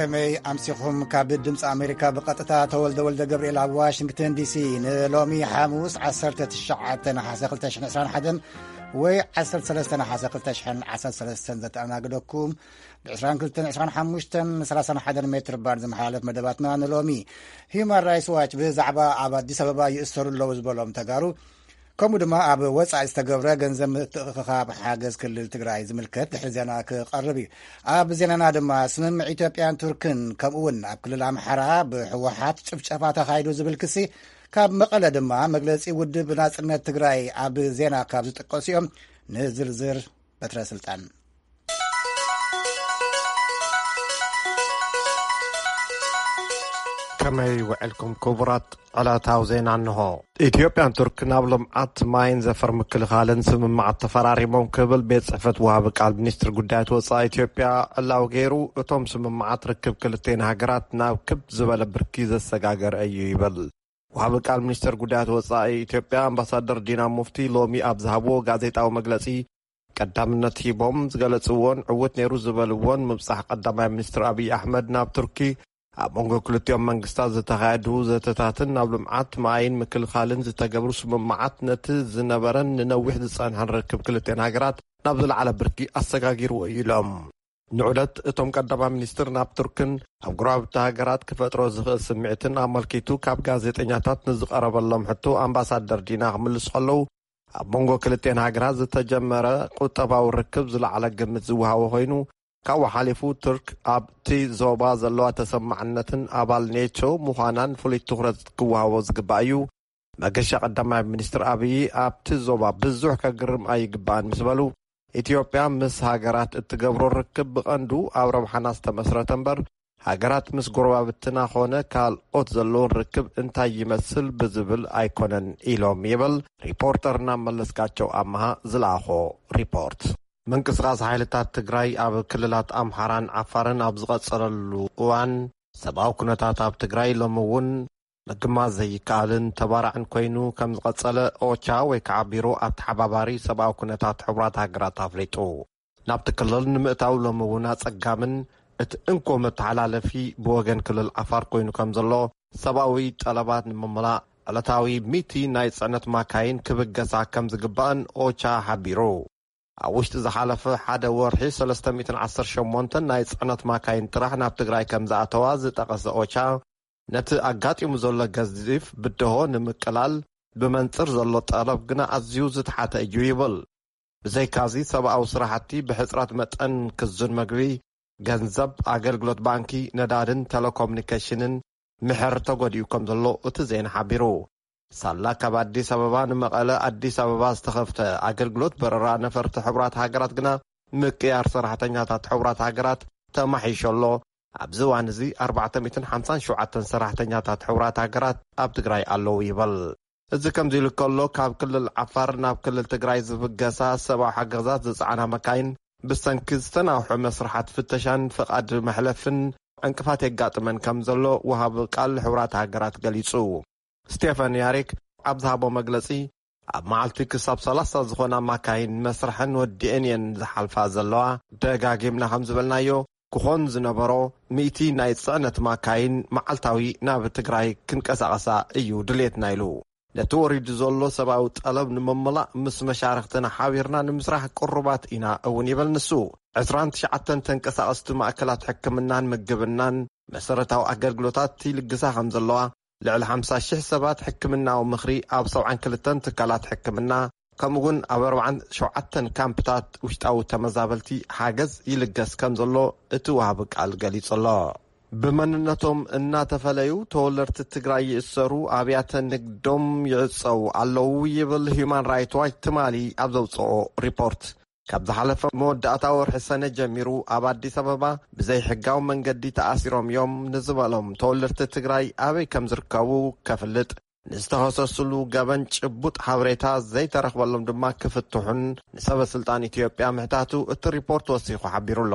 ከመይ ኣምሲኹም? ካብ ድምፂ ኣሜሪካ ብቐጥታ ተወልደ ወልደ ገብርኤል ኣብ ዋሽንግተን ዲሲ። ንሎሚ ሓሙስ ዓሰርተ ትሽዓተ ነሓሰ ክልተ ሽሕን ዕስራን ሓደን ወይ ዓሰርተ ሰለስተ ነሓሰ ክልተ ሽሕን ዓሰርተ ሰለስተን ዘተኣናግደኩም ብ ዕስራን ክልተን ዕስራን ሓሙሽተን ሰላሳን ሓደን ሜትር ባንድ ዝመሓላለፍ መደባትና ንሎሚ። ሂዩማን ራይትስ ዋች ብዛዕባ ኣብ ኣዲስ ኣበባ ይእሰሩ ኣለዉ ዝበሎም ተጋሩ፣ ከምኡ ድማ ኣብ ወጻኢ ዝተገብረ ገንዘብ ምትእኽኻብ ሓገዝ ክልል ትግራይ ዝምልከት ድሕሪ ዜና ክቐርብ እዩ። ኣብ ዜናና ድማ ስምምዕ ኢትዮጵያን ቱርክን ከምኡ እውን ኣብ ክልል ኣምሓራ ብህወሓት ጭፍጨፋ ተኻይዱ ዝብል ክሲ፣ ካብ መቐለ ድማ መግለጺ ውድብ ናጽነት ትግራይ ኣብ ዜና ካብ ዝጥቀሱ እዮም። ንዝርዝር በትረ ስልጣን። ከመይ ውዕልኩም ክቡራት? ዕለታዊ ዜና እንሆ። ኢትዮጵያን ቱርክን ኣብ ልምዓት ማይን ዘፈር ምክልኻልን ስምምዓት ተፈራሪሞም ክብል ቤት ጽሕፈት ወሃቢ ቃል ሚኒስትር ጉዳያት ወጻኢ ኢትዮጵያ ዕላዊ ገይሩ። እቶም ስምምዓት ርክብ ክልቴን ሃገራት ናብ ክብ ዝበለ ብርኪ ዘሰጋገረ እዩ ይብል። ወሃቢ ቃል ሚኒስትር ጉዳያት ወጻኢ ኢትዮጵያ ኣምባሳደር ዲና ሙፍቲ ሎሚ ኣብ ዝሃብዎ ጋዜጣዊ መግለጺ፣ ቀዳምነት ሂቦም ዝገለጽዎን ዕውት ነይሩ ዝበልዎን ምብጻሕ ቀዳማይ ሚኒስትር ኣብይ ኣሕመድ ናብ ቱርኪ፣ ኣብ መንጎ ክልቲኦም መንግስታት ዝተኻየዱ ዘተታትን ናብ ልምዓት ማይን ምክልኻልን ዝተገብሩ ስምምዓት ነቲ ዝነበረን ንነዊሕ ዝጸንሐን ርክብ ክልቲኣን ሃገራት ናብ ዝለዓለ ብርኪ ኣሰጋጊርዎ እዩ ኢሎም። ንዑደት እቶም ቀዳማይ ሚኒስትር ናብ ቱርክን ኣብ ጎረባብቲ ሃገራት ክፈጥሮ ዝኽእል ስምዒትን ኣመልኪቱ ካብ ጋዜጠኛታት ንዝቐረበሎም ሕቶ ኣምባሳደር ዲና ክምልሱ ከለዉ፣ ኣብ መንጎ ክልቲኣን ሃገራት ዝተጀመረ ቁጠባዊ ርክብ ዝለዓለ ግምት ዝወሃቦ ኮይኑ፣ ካብኡ ሓሊፉ ቱርክ ኣብቲ ዞባ ዘለዋ ተሰማዕነትን ኣባል ኔቶ ምዃናን ፍሉይ ትኹረት ክወሃቦ ዝግባእ እዩ። መገሻ ቀዳማይ ሚኒስትር ኣብይ ኣብቲ ዞባ ብዙሕ ከግርም ኣይግባእን ምስ በሉ፣ ኢትዮጵያ ምስ ሃገራት እትገብሮ ርክብ ብቐንዱ ኣብ ረብሓና ዝተመስረተ እምበር፣ ሃገራት ምስ ጎረባብትና ኾነ ካልኦት ዘለውን ርክብ እንታይ ይመስል ብዝብል ኣይኮነን ኢሎም ይብል ሪፖርተርና መለስካቸው ኣመሃ ዝለኣኾ ሪፖርት። ምንቅስቓስ ሓይልታት ትግራይ ኣብ ክልላት ኣምሓራን ዓፋርን ኣብ ዝቐጸለሉ እዋን፣ ሰብኣዊ ኩነታት ኣብ ትግራይ ሎሚ እውን ምግማት ዘይከኣልን ተባራዕን ኮይኑ ከም ዝቐጸለ ኦቻ ወይ ከዓ ቢሮ ኣተሓባባሪ ሰብኣዊ ኩነታት ሕቡራት ሃገራት ኣፍሊጡ። ናብቲ ክልል ንምእታው ሎሚ እውን ኣጸጋምን እቲ እንኮ መተሓላለፊ ብወገን ክልል ዓፋር ኮይኑ ከም ዘሎ፣ ሰብኣዊ ጠለባት ንምምላእ ዕለታዊ ሚእቲ ናይ ጽዕነት ማካይን ክብገሳ ከም ዝግባእን ኦቻ ሓቢሩ። ኣብ ውሽጢ ዝሓለፈ ሓደ ወርሒ ሰለስተ ሚእትን ዓሰርተ ሸሞንተን ናይ ጽዕነት ማካይን ጥራሕ ናብ ትግራይ ከም ዝኣተዋ ዝጠቐሰ ኦቻ፣ ነቲ ኣጋጢሙ ዘሎ ገዚፍ ብድሆ ንምቅላል ብመንጽር ዘሎ ጠለብ ግና ኣዝዩ ዝተሓተ እዩ ይብል። ብዘይካዚ ሰብኣዊ ስራሕቲ ብሕጽረት መጠን ክዙን መግቢ፣ ገንዘብ፣ ኣገልግሎት ባንኪ፣ ነዳድን ቴሌኮሙኒኬሽንን ምሕር ተጎዲኡ ከም ዘሎ እቲ ዜና ሓቢሩ። ሳላ ካብ ኣዲስ ኣበባ ንመቐለ ኣዲስ ኣበባ ዝተኸፍተ ኣገልግሎት በረራ ነፈርቲ ሕቡራት ሃገራት ግና ምቅያር ሰራሕተኛታት ሕቡራት ሃገራት ተማሒሾ ኣሎ። ኣብዚ እዋን እዚ ኣርባዕተ ሚእትን ሓምሳን ሸውዓተን ሰራሕተኛታት ሕቡራት ሃገራት ኣብ ትግራይ ኣለዉ ይበል። እዚ ከምዚ ኢሉ ከሎ፣ ካብ ክልል ዓፋር ናብ ክልል ትግራይ ዝብገሳ ሰብኣዊ ሓገዛት ዝጸዓና መካይን ብሰንኪ ዝተናውሐ መስርሓት ፍተሻን ፍቓድ መሕለፍን ዕንቅፋት የጋጥመን ከም ዘሎ ወሃቢ ቃል ሕቡራት ሃገራት ገሊጹ። ስቴፈን ያሪክ ኣብ ዝሃቦ መግለጺ፣ ኣብ መዓልቲ ክሳብ ሰላሳ ዝኾና ማካይን መስርሐን ወዲአን እየን ዝሓልፋ ዘለዋ። ደጋጊምና ከም ዝበልናዮ፣ ክኾን ዝነበሮ ሚእቲ ናይ ጽዕነት ማካይን መዓልታዊ ናብ ትግራይ ክንቀሳቐሳ እዩ ድሌትና ኢሉ። ነቲ ወሪዱ ዘሎ ሰብኣዊ ጠለብ ንምምላእ ምስ መሻርኽትና ሓቢርና ንምስራሕ ቅሩባት ኢና እውን ይበል ንሱ። ዕስራን ትሽዓተን ተንቀሳቐስቲ ማእከላት ሕክምናን ምግብናን መሰረታዊ ኣገልግሎታት ይልግሳ ከም ዘለዋ፣ ልዕሊ ሓምሳ ሽሕ ሰባት ሕክምናዊ ምኽሪ ኣብ ሰብዓን ክልተን ትካላት ሕክምና፣ ከምኡ እውን ኣብ ኣርባዓን ሸውዓተን ካምፕታት ውሽጣዊ ተመዛበልቲ ሓገዝ ይልገስ ከም ዘሎ እቲ ወሃቢ ቃል ገሊጹ ኣሎ። ብመንነቶም እናተፈለዩ ተወለድቲ ትግራይ ይእሰሩ፣ ኣብያተ ንግዶም ይዕጸዉ ኣለዉ ይብል ሂዩማን ራይት ዋች ትማሊ ኣብ ዘውፅኦ ሪፖርት። ካብ ዝሓለፈ መወዳእታ ወርሒ ሰነ ጀሚሩ ኣብ ኣዲስ ኣበባ ብዘይሕጋዊ መንገዲ ተኣሲሮም እዮም ንዝበሎም ተወለድቲ ትግራይ ኣበይ ከም ዝርከቡ ከፍልጥ፣ ንዝተኸሰስሉ ገበን ጭቡጥ ሓበሬታ ዘይተረኽበሎም ድማ ክፍትሑን ንሰበ ስልጣን ኢትዮጵያ ምሕታቱ እቲ ሪፖርት ወሲኹ ሓቢሩ ኣሎ።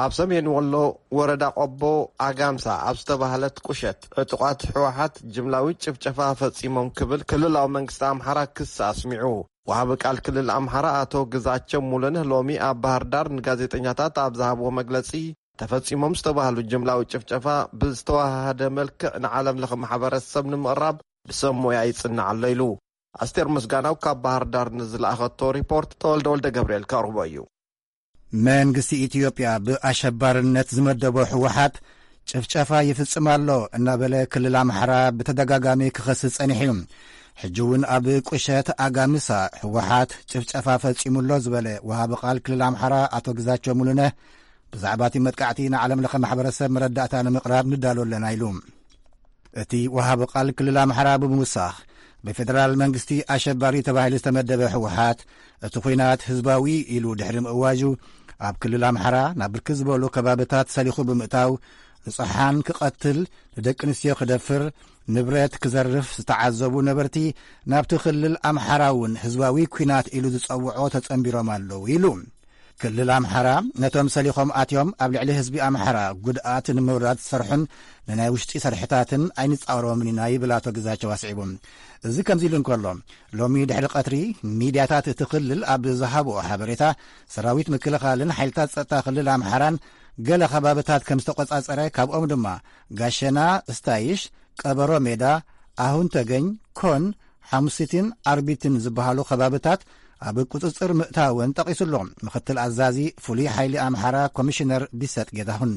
ኣብ ሰሜን ወሎ ወረዳ ቆቦ ኣጋምሳ ኣብ ዝተባህለት ቁሸት ዕጡቓት ህወሓት ጅምላዊ ጭፍጨፋ ፈጺሞም ክብል ክልላዊ መንግስቲ ኣምሓራ ክሲ ኣስሚዑ። ወሃቢ ቃል ክልል ኣምሓራ ኣቶ ግዛቸው ሙሉነህ ሎሚ ኣብ ባህር ዳር ንጋዜጠኛታት ኣብ ዝሃብዎ መግለጺ፣ ተፈጺሞም ዝተባህሉ ጅምላዊ ጭፍጨፋ ብዝተዋሃደ መልክዕ ንዓለም ለኸ ማሕበረሰብ ንምቕራብ ብሰብ ሞያ ይጽናዕ ኣሎ ኢሉ። ኣስቴር ምስጋናው ካብ ባህር ዳር ንዝለኣኸቶ ሪፖርት ተወልደ ወልደ ገብርኤል ከቕርቦ እዩ። መንግስቲ ኢትዮጵያ ብኣሸባርነት ዝመደቦ ህወሓት ጭፍጨፋ ይፍጽም ኣሎ እናበለ ክልል ኣምሓራ ብተደጋጋሚ ክኸስስ ጸኒሑ እዩ። ሕጂ እውን ኣብ ቁሸት ኣጋምሳ ህወሓት ጭፍጨፋ ፈጺሙ ኣሎ ዝበለ ወሃቢ ቃል ክልል ኣምሓራ ኣቶ ግዛቸው ሙሉነህ ብዛዕባ እቲ መጥቃዕቲ ንዓለም ለኸ ማሕበረሰብ መረዳእታ ንምቕራብ ንዳሎ ኣለና ኢሉ። እቲ ወሃቢ ቃል ክልል ኣምሓራ ብምውሳኽ ብፌደራል መንግስቲ ኣሸባሪ ተባሂሉ ዝተመደበ ህወሓት እቲ ኹናት ህዝባዊ ኢሉ ድሕሪ ምእዋጁ ኣብ ክልል ኣምሓራ ናብ ብርክት ዝበሉ ከባብታት ሰሊኹ ብምእታው ንጹሓን ክቐትል፣ ንደቂ ኣንስትዮ ክደፍር፣ ንብረት ክዘርፍ ዝተዓዘቡ ነበርቲ ናብቲ ክልል ኣምሓራ እውን ህዝባዊ ኲናት ኢሉ ዝጸውዖ ተጸንቢሮም ኣለዉ ኢሉ። ክልል ኣምሓራ ነቶም ሰሊኾም ኣትዮም ኣብ ልዕሊ ህዝቢ ኣምሓራ ጉድኣት ንምውራድ ዝሰርሑን ንናይ ውሽጢ ሰርሕታትን ኣይንጻወሮምን ኢና ይብል ኣቶ ግዛቸው ኣስዒቡ። እዚ ከምዚ ኢሉ እንከሎ ሎሚ ድሕሪ ቀትሪ ሚድያታት እቲ ክልል ኣብ ዝሃብኦ ሓበሬታ ሰራዊት ምክልኻልን ሓይልታት ጸጥታ ክልል ኣምሓራን ገለ ከባብታት ከም ዝተቆጻጸረ ካብኦም ድማ ጋሸና፣ ስታይሽ፣ ቀበሮ ሜዳ፣ ኣሁን ተገኝ፣ ኮን፣ ሓሙሲትን ኣርቢትን ዝበሃሉ ከባብታት ኣብ ቁጽጽር ምእታወን ጠቒሱ ኣሎ። ምክትል ኣዛዚ ፍሉይ ሓይሊ ኣምሓራ ኮሚሽነር ቢሰጥ ጌታሁን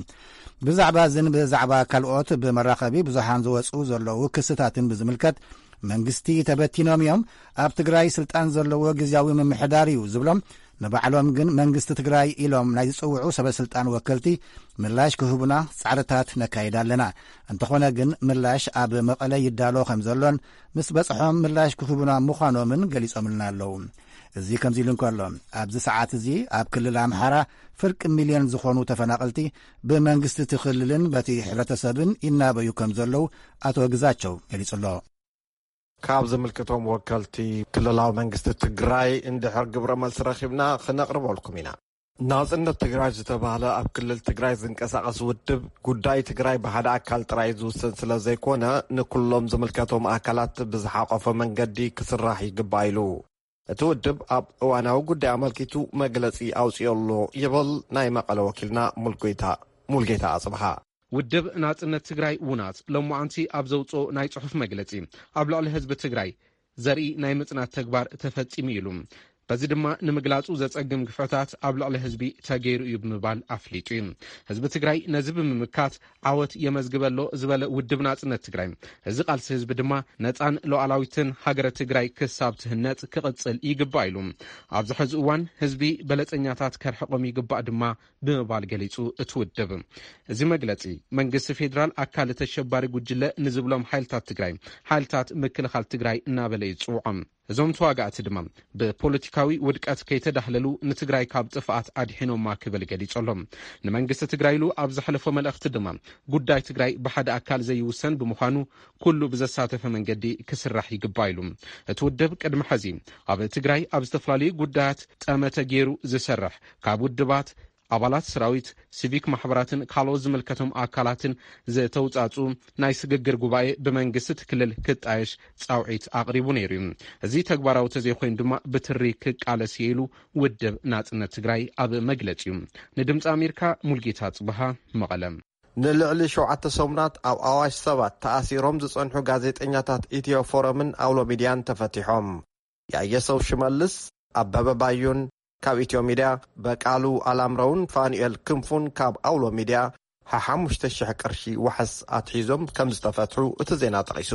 ብዛዕባ እዝን ብዛዕባ ካልኦት ብመራኸቢ ብዙሓን ዝወፁ ዘለዉ ክስታትን ብዝምልከት መንግስቲ ተበቲኖም እዮም፣ ኣብ ትግራይ ስልጣን ዘለዎ ግዝያዊ ምምሕዳር እዩ ዝብሎም ንባዕሎም ግን መንግስቲ ትግራይ ኢሎም ናይ ዝፅውዑ ሰበ ስልጣን ወከልቲ ምላሽ ክህቡና ፃዕርታት ነካይድ ኣለና። እንተኾነ ግን ምላሽ ኣብ መቐለ ይዳሎ ከም ዘሎን ምስ በፅሖም ምላሽ ክህቡና ምዃኖምን ገሊፆምልና ኣለዉ። እዚ ከምዚ ኢሉ እንከሎ ኣብዚ ሰዓት እዚ ኣብ ክልል ኣምሓራ ፍርቂ ሚልዮን ዝኾኑ ተፈናቐልቲ ብመንግስቲ እቲ ክልልን በቲ ሕብረተሰብን ይናበዩ ከም ዘለዉ ኣቶ ግዛቸው ገሊፁ ኣሎ። ካብ ዝምልከቶም ወከልቲ ክልላዊ መንግስቲ ትግራይ እንድሕር ግብረ መልሲ ረኺብና ክነቕርበልኩም ኢና። ናጽነት ትግራይ ዝተባህለ ኣብ ክልል ትግራይ ዝንቀሳቐስ ውድብ ጉዳይ ትግራይ ብሓደ ኣካል ጥራይ ዝውሰን ስለ ዘይኮነ ንኩሎም ዝምልከቶም ኣካላት ብዝሓቆፈ መንገዲ ክስራሕ ይግባእ ኢሉ። እቲ ውድብ ኣብ እዋናዊ ጉዳይ ኣመልኪቱ መግለጺ ኣውጺኦ ኣሎ ይብል ናይ መቐለ ወኪልና ሙልጌታ ሙልጌታ ኣጽብሃ። ውድብ ናጽነት ትግራይ ውናት ሎማዓንቲ ኣብ ዘውፅኦ ናይ ጽሑፍ መግለጺ ኣብ ልዕሊ ህዝቢ ትግራይ ዘርኢ ናይ ምጽናት ተግባር ተፈጺሙ ኢሉ። በዚ ድማ ንምግላጹ ዘጸግም ግፍዕታት ኣብ ልዕሊ ህዝቢ ተገይሩ እዩ ብምባል ኣፍሊጡ እዩ። ህዝቢ ትግራይ ነዚ ብምምካት ዓወት የመዝግበ ኣሎ ዝበለ ውድብ ናጽነት ትግራይ፣ እዚ ቃልሲ ህዝቢ ድማ ነጻን ሉዓላዊትን ሃገረ ትግራይ ክሳብ ትህነጽ ክቕጽል ይግባእ ኢሉ። ኣብዚ ሕዚ እዋን ህዝቢ በለጸኛታት ከርሕቖም ይግባእ ድማ ብምባል ገሊጹ። እቲ ውድብ እዚ መግለጺ መንግስቲ ፌዴራል ኣካል ተሸባሪ ጉጅለ ንዝብሎም ሓይልታት ትግራይ ሓይልታት ምክልኻል ትግራይ እናበለ እዩ ዝፅውዖም። እዞም ተዋጋእቲ ድማ ብፖለቲካዊ ውድቀት ከይተዳህለሉ ንትግራይ ካብ ጥፍኣት ኣድሒኖማ ክብል ገሊጹ ኣሎ። ንመንግስቲ ትግራይ ኢሉ ኣብ ዘሕለፎ መልእኽቲ ድማ ጉዳይ ትግራይ ብሓደ ኣካል ዘይውሰን ብምዃኑ ኩሉ ብዘሳተፈ መንገዲ ክስራሕ ይግባእ ኢሉ። እቲ ውድብ ቅድሚ ሕዚ ኣብ ትግራይ ኣብ ዝተፈላለዩ ጉዳያት ጠመተ ገይሩ ዝሰርሕ ካብ ውድባት ኣባላት ሰራዊት፣ ሲቪክ ማሕበራትን ካልኦት ዝምልከቶም ኣካላትን ዝተውፃፁ ናይ ስግግር ጉባኤ ብመንግስቲ እቲ ክልል ክጣየሽ ፃውዒት ኣቕሪቡ ነይሩ እዩ። እዚ ተግባራዊ ተዘይኮይኑ ድማ ብትሪ ክቃለስ እየ ኢሉ ውድብ ናፅነት ትግራይ ኣብ መግለፂኡ። ንድምፂ ኣሜሪካ ሙልጌታ ፅበሃ መቐለ። ንልዕሊ ሸውዓተ ሰሙናት ኣብ ኣዋሽ ሰባት ተኣሲሮም ዝጸንሑ ጋዜጠኛታት ኢትዮ ፎረምን ኣውሎ ሚድያን ተፈቲሖም። ያየሰው ሽመልስ፣ ኣበበ ባዩን ካብ ኢትዮ ሚድያ፣ በቃሉ ኣላምረውን ፋኑኤል ክንፉን ካብ ኣውሎ ሚድያ ሓሓሙሽተ ሽሕ ቅርሺ ዋሕስ ኣትሒዞም ከም ዝተፈትሑ እቲ ዜና ጠቒሱ።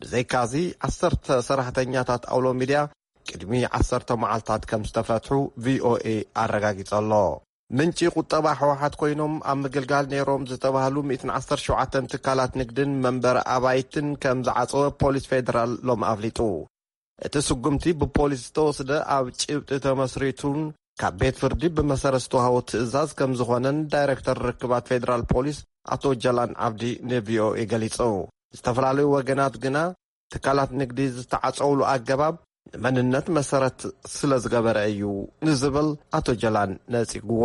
ብዘይካዚ ዓሰርተ ሰራሕተኛታት ኣውሎ ሚድያ ቅድሚ ዓሰርተ መዓልታት ከም ዝተፈትሑ ቪኦኤ ኣረጋጊጸ ኣሎ። ምንጪ ቁጠባ ህወሓት ኮይኖም ኣብ ምግልጋል ነይሮም ዝተባህሉ ሚእትን ዓሰርተ ሸውዓተን ትካላት ንግድን መንበሪ ኣባይትን ከም ዝዓጸወ ፖሊስ ፌደራል ሎም ኣፍሊጡ። እቲ ስጉምቲ ብፖሊስ ዝተወስደ ኣብ ጭብጢ ተመስሪቱን ካብ ቤት ፍርዲ ብመሰረት ዝተዋህቦ ትእዛዝ ከም ዝኾነን ዳይሬክተር ርክባት ፌደራል ፖሊስ ኣቶ ጀላን ዓብዲ ንቪኦኤ ገሊጹ። ዝተፈላለዩ ወገናት ግና ትካላት ንግዲ ዝተዓጸውሉ ኣገባብ ንመንነት መሰረት ስለ ዝገበረ እዩ ንዝብል ኣቶ ጀላን ነጺግዎ።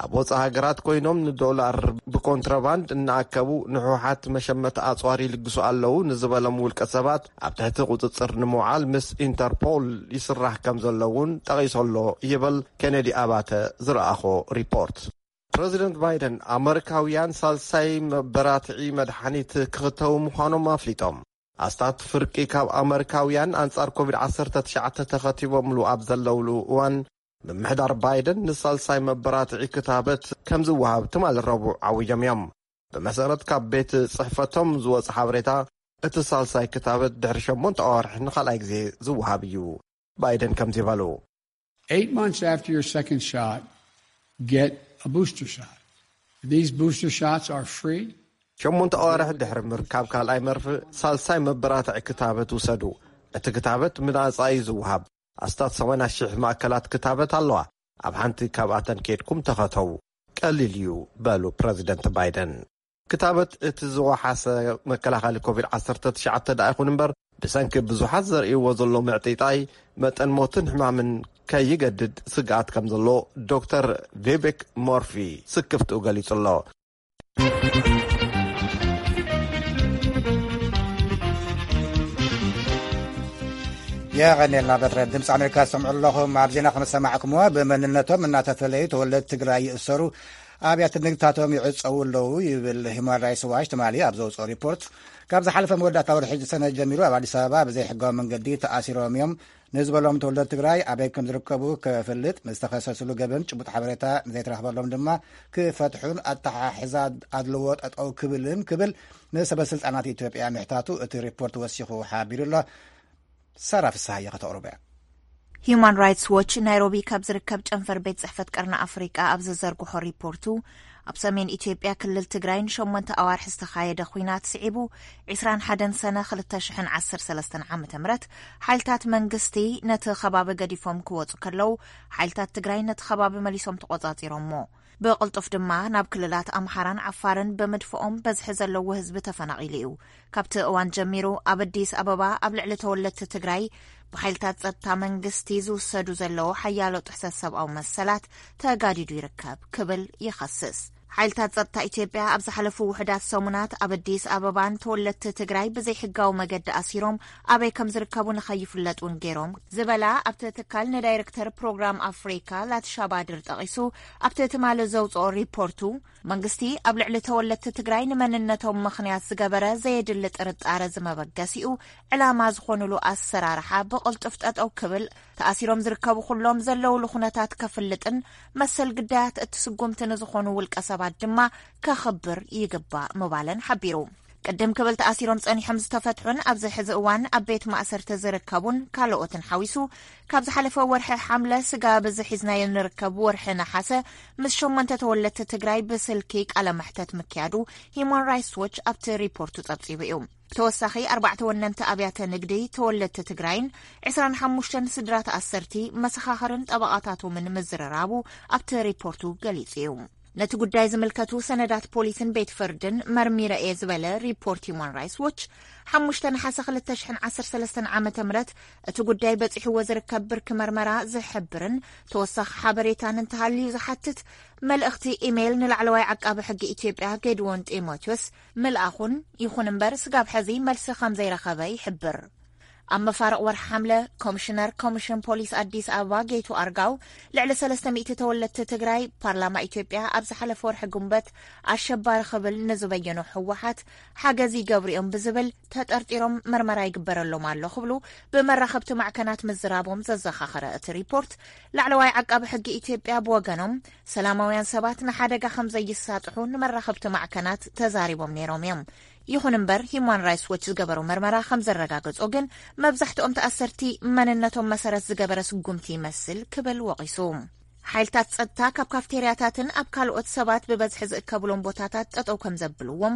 ኣብ ወጻኢ ሃገራት ኮይኖም ንዶላር ብኮንትራባንድ እናኣከቡ ንህወሓት መሸመቲ ኣጽዋር ይልግሱ ኣለዉ ንዝበሎም ውልቀ ሰባት ኣብ ትሕቲ ቁጽጽር ንምውዓል ምስ ኢንተርፖል ይስራሕ ከም ዘሎ እውን ጠቒሱ ኣሎ ይብል ኬነዲ ኣባተ ዝረኣኾ ሪፖርት። ፕረዚደንት ባይደን፣ ኣመሪካውያን ሳልሳይ መበራትዒ መድሓኒት ክኽተቡ ምዃኖም ኣፍሊጦም። ኣስታት ፍርቂ ካብ ኣመሪካውያን ኣንጻር ኮቪድ ዓሰርተ ትሽዓተ ተኸቲቦምሉ ኣብ ዘለውሉ እዋን፣ ምምሕዳር ባይደን ንሳልሳይ መበራትዒ ክታበት ከም ዝወሃብ ትማሊ ረቡዕ ዓዊጆም እዮም። ብመሰረት ካብ ቤት ጽሕፈቶም ዝወጸ ሓበሬታ፣ እቲ ሳልሳይ ክታበት ድሕሪ ሸሞንተ ኣዋርሕ ንኻልኣይ ግዜ ዝወሃብ እዩ። ባይደን ከምዚ በሉ። Eight months after your second shot, get a booster shot. These booster shots are free. ሸሞንተ ኣዋርሕ ድሕሪ ምርካብ ካልኣይ መርፍእ፣ ሳልሳይ መበራትዒ ክታበት ውሰዱ። እቲ ክታበት ብናጻ እዩ ዝወሃብ። ኣስታት ሰማንያ ሽሕ ማእከላት ክታበት ኣለዋ። ኣብ ሓንቲ ካብኣተን ኬድኩም ተኸተቡ። ቀሊል እዩ፣ በሉ ፕረዚደንት ባይደን። ክታበት እቲ ዝወሓሰ መከላኸሊ ኮቪድ ዓሰርተ ትሽዓተ ደኣ ይኹን እምበር፣ ብሰንኪ ብዙሓት ዘርእይዎ ዘሎ ምዕጢጣይ፣ መጠን ሞትን ሕማምን ከይገድድ ስግኣት ከም ዘሎ ዶክተር ቪቤክ ሞርፊ ስክፍትኡ ገሊጹ ኣሎ። የቐኔልና በትረ። ድምፂ ኣሜሪካ ዝሰምዑ ኣለኹም። ኣብ ዜና ከም ዝሰማዕኩምዎ፣ ብመንነቶም እናተፈለዩ ተወለድቲ ትግራይ ይእሰሩ፣ ኣብያተ ንግድታቶም ይዕፀዉ ኣለዉ ይብል ሂማን ራይትስ ዋች ትማሊ ኣብ ዘውፅኦ ሪፖርት። ካብ ዝሓለፈ መወዳእታ ወርሒ ሰነ ጀሚሩ ኣብ ኣዲስ ኣበባ ብዘይሕጋዊ መንገዲ ተኣሲሮም እዮም ንዝበሎም ተወለድቲ ትግራይ ኣበይ ከም ዝርከቡ ክፍልጥ፣ ንዝተኸሰስሉ ገበን ጭቡጥ ሓበሬታ ንዘይተረኽበሎም ድማ ክፈትሑን ኣተሓሕዛ ኣድልዎ ጠጠው ክብልን ክብል ንሰበ ስልጣናት ኢትዮጵያ ምሕታቱ እቲ ሪፖርት ወሲኹ ሓቢሩ ኣሎ። ሳራ ፍስሃየ ከተቕርቦ እያ። ሂዩማን ራይትስ ዎች ናይሮቢ ካብ ዝርከብ ጨንፈር ቤት ጽሕፈት ቀርኒ ኣፍሪቃ ኣብ ዘዘርግሖ ሪፖርቱ፣ ኣብ ሰሜን ኢትዮጵያ ክልል ትግራይ ንሸሞንተ ኣዋርሒ ዝተኻየደ ኹናት ስዒቡ፣ ዕስራን ሓደን ሰነ ክልተ ሽሕን ዓሰርተ ሰለስተን ዓመተ ምህረት ሓይልታት መንግስቲ ነቲ ከባቢ ገዲፎም ክወጹ ከለዉ፣ ሓይልታት ትግራይ ነቲ ከባቢ መሊሶም ተቖጻጺሮሞ። ብቕልጡፍ ድማ ናብ ክልላት ኣምሓራን ዓፋርን ብምድፍኦም በዝሒ ዘለዎ ህዝቢ ተፈናቒሉ እዩ። ካብቲ እዋን ጀሚሩ ኣብ ኣዲስ ኣበባ ኣብ ልዕሊ ተወለድቲ ትግራይ ብሓይልታት ጸጥታ መንግስቲ ዝውሰዱ ዘለዉ ሓያሎ ጥሕሰት ሰብኣዊ መሰላት ተጋዲዱ ይርከብ ክብል ይኸስስ። ሓይልታት ጸጥታ ኢትዮጵያ ኣብ ዝሓለፉ ውሑዳት ሰሙናት ኣብ ኣዲስ ኣበባን ተወለድቲ ትግራይ ብዘይሕጋዊ መገዲ ኣሲሮም ኣበይ ከም ዝርከቡ ንኸይፍለጥ እውን ገይሮም ዝበላ ኣብቲ ትካል ንዳይሬክተር ፕሮግራም ኣፍሪካ ላትሻባድር ጠቒሱ ኣብቲ ትማሊ ዘውፅኦ ሪፖርቱ መንግስቲ ኣብ ልዕሊ ተወለድቲ ትግራይ ንመንነቶም ምኽንያት ዝገበረ ዘየድሊ ጥርጣረ ዝመበገሲኡ ዕላማ ዝኾኑሉ ኣሰራርሓ ብቕልጡፍ ጠጠው ክብል፣ ተኣሲሮም ዝርከቡ ኩሎም ዘለውሉ ኩነታት ከፍልጥን መሰል ግዳያት እቲ ስጉምቲ ንዝኾኑ ውልቀ ሰባት ድማ ከኽብር ይግባእ ምባለን ሓቢሩ። ቅድም ክብል ተኣሲሮም ጸኒሖም ዝተፈትሑን ኣብዚ ሕዚ እዋን ኣብ ቤት ማእሰርቲ ዝርከቡን ካልኦትን ሓዊሱ ካብ ዝሓለፈ ወርሒ ሓምለ ስጋብ እዚ ሒዝናዮ ንርከብ ወርሒ ነሓሰ ምስ ሸሞንተ ተወለድቲ ትግራይ ብስልኪ ቃለ መሕተት ምክያዱ ሂዩማን ራይትስ ዎች ኣብቲ ሪፖርቱ ጸብጺቡ እዩ። ተወሳኺ ኣርባዕተ ወነንቲ ኣብያተ ንግዲ ተወለድቲ ትግራይን ዕስራን ሓሙሽተን ስድራ ተኣሰርቲ መሰኻኽርን ጠበቓታቶምን ምዝርራቡ ኣብቲ ሪፖርቱ ገሊጹ እዩ። ነቲ ጉዳይ ዝምልከቱ ሰነዳት ፖሊስን ቤት ፍርድን መርሚረ እየ ዝበለ ሪፖርት ሂዩማን ራይትስ ዎች፣ ሓሙሽተ ነሓሰ ክልተ ሽሕን ዓሰርተ ሰለስተን ዓመተ ምህረት እቲ ጉዳይ በጺሕዎ ዝርከብ ብርኪ መርመራ ዝሕብርን ተወሳኺ ሓበሬታን እንተሃልዩ ዝሓትት መልእኽቲ ኢሜይል ንላዕለዋይ ዓቃቢ ሕጊ ኢትዮጵያ ጌድዎን ጢሞቴዎስ ምልኣኹን፣ ይኹን እምበር ስጋብ ሕዚ መልሲ ከም ዘይረኸበ ይሕብር። ኣብ መፋርቕ ወርሒ ሓምለ ኮሚሽነር ኮሚሽን ፖሊስ ኣዲስ ኣበባ ጌቱ ኣርጋው ልዕሊ ሰለስተ ሚእቲ ተወለድቲ ትግራይ ፓርላማ ኢትዮጵያ ኣብ ዝሓለፈ ወርሒ ጉንበት ኣሸባሪ ክብል ንዝበየኖ ህወሓት ሓገዝ ይገብሩ እዮም ብዝብል ተጠርጢሮም መርመራ ይግበረሎም ኣሎ ክብሉ ብመራኸብቲ ማዕከናት ምዝራቦም ዘዘኻኸረ እቲ ሪፖርት፣ ላዕለዋይ ዓቃቢ ሕጊ ኢትዮጵያ ብወገኖም ሰላማውያን ሰባት ንሓደጋ ከም ዘይሳጥሑ ንመራኸብቲ ማዕከናት ተዛሪቦም ነይሮም እዮም። ይኹን እምበር ሂዩማን ራይትስ ዎች ዝገበሮ መርመራ ከም ዘረጋገጾ ግን መብዛሕትኦም ተኣሰርቲ መንነቶም መሰረት ዝገበረ ስጉምቲ ይመስል ክብል ወቒሱ። ሓይልታት ጸጥታ ካብ ካፍቴርያታትን ኣብ ካልኦት ሰባት ብበዝሒ ዝእከብሎም ቦታታት ጠጠው ከም ዘብልዎም፣